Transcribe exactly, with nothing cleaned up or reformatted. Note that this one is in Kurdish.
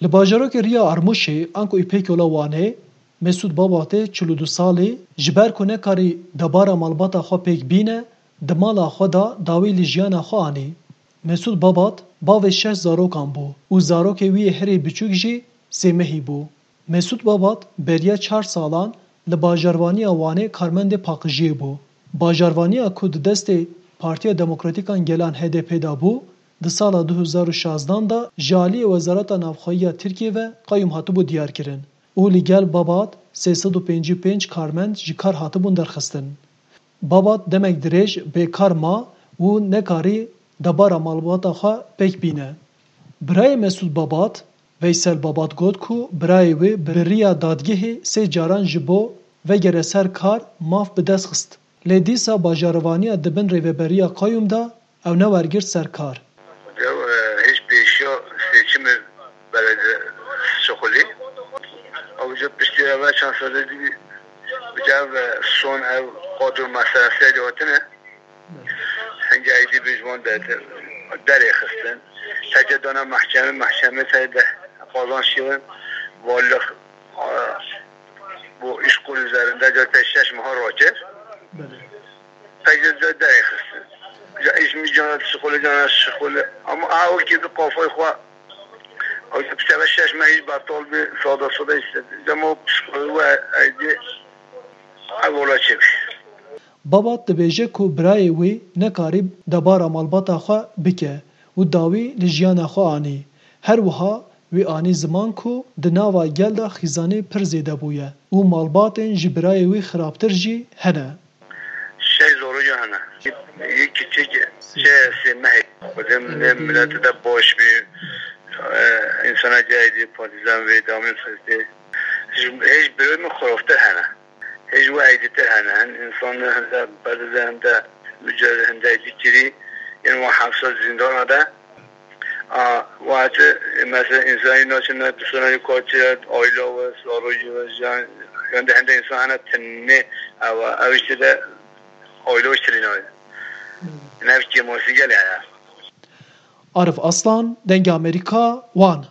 Li bajarokê Riya Armûşê anku Îpekyola Wanê, Mesûd Babatê çil û du salî, ji ber ku nekarî debara malbata xwe pêk bîne, di mala xwe de dawî li jiyana xwe anî. Mesûd Babat bavê şeş zarokan bû û zarokê wî yê herî biçûk jî sêmehî bû. Mesûd Babat beriya çar salan li bajarvaniya Wanê karmendê paqijiyê bû. Bajarvaniya ku di destê Partiya Demokratîk a Gelan H D P de bû, di sala du hezar û şazdan de ji aliyê Wezareta Navxweyî ya Tirkiyê ve qeyûm hatibû diyarkirin û li gel Babat sê sed û pêncî û pênc karmend ji kar hatibûn derxistin. Babat demek dirêj bêkar ma û nekarî debara malbata xwe pêk bîne. Birayê Mesûd Babat, Veysel Babat got ku birayê wê bi riya dadgehê sê caran ji bo vegere ser kar maf bi dest xist. Lê dîsa bajarvaniya di bin rêveberiya qeyûm de ew newergirt ser kar. Ew, e, hêj pêşiya seçimê belediye şixulî. Ew ji piştî eve çend serê dî bi ev, e, son ev qadro meselesê de hatine. Hingê êdî bi ji wan de derê xistin. Tece dana mehkeme, mehkeme te de qazanç kirin. Valî, e, bu îşkur üzerinde de te şeş meha rakir. Belê. Pek de, de derê xistin. Ya îş mi cana şixulê cana şixulê. Ama ha wekî bi kafayê xwe. Ew bi te ve şeş meh îş betal bi, sada sada îşte. Dema psîkolojî we êdî ev ola çêbî. Babat dibêje ku birayê wî nekarî debara malbata xwe bike û dawî li jiyana xwe anî. Her wiha wî anî ziman ku di nava gel de xîzanî pir zêde bûye û malbatên ji birayê wî xirabtir jî hene. Şeş zaroca hene. Yek kiçik, şey, sê mehê. Xwedê milê, milete de baş bî. E, insana cahidî, partizan vê damê sirtê. Hêj birayê min xirabtir hene. Hêj wê êdîtir hene. Hin însan hinde berdide hinde mücadele hinde êdî kirî. Yên wan hepsa zîndana de. A, wate, mesela, însanî naçine, dusona yê kartî ye, aîla we, zarokî we, jiyan, yan de hende însan hene tenê, ew, ew işte de aîla we tiştê nayê. Nev kêmasî gelê heye. Arif Aslan, Dengê Amerîka, Wan.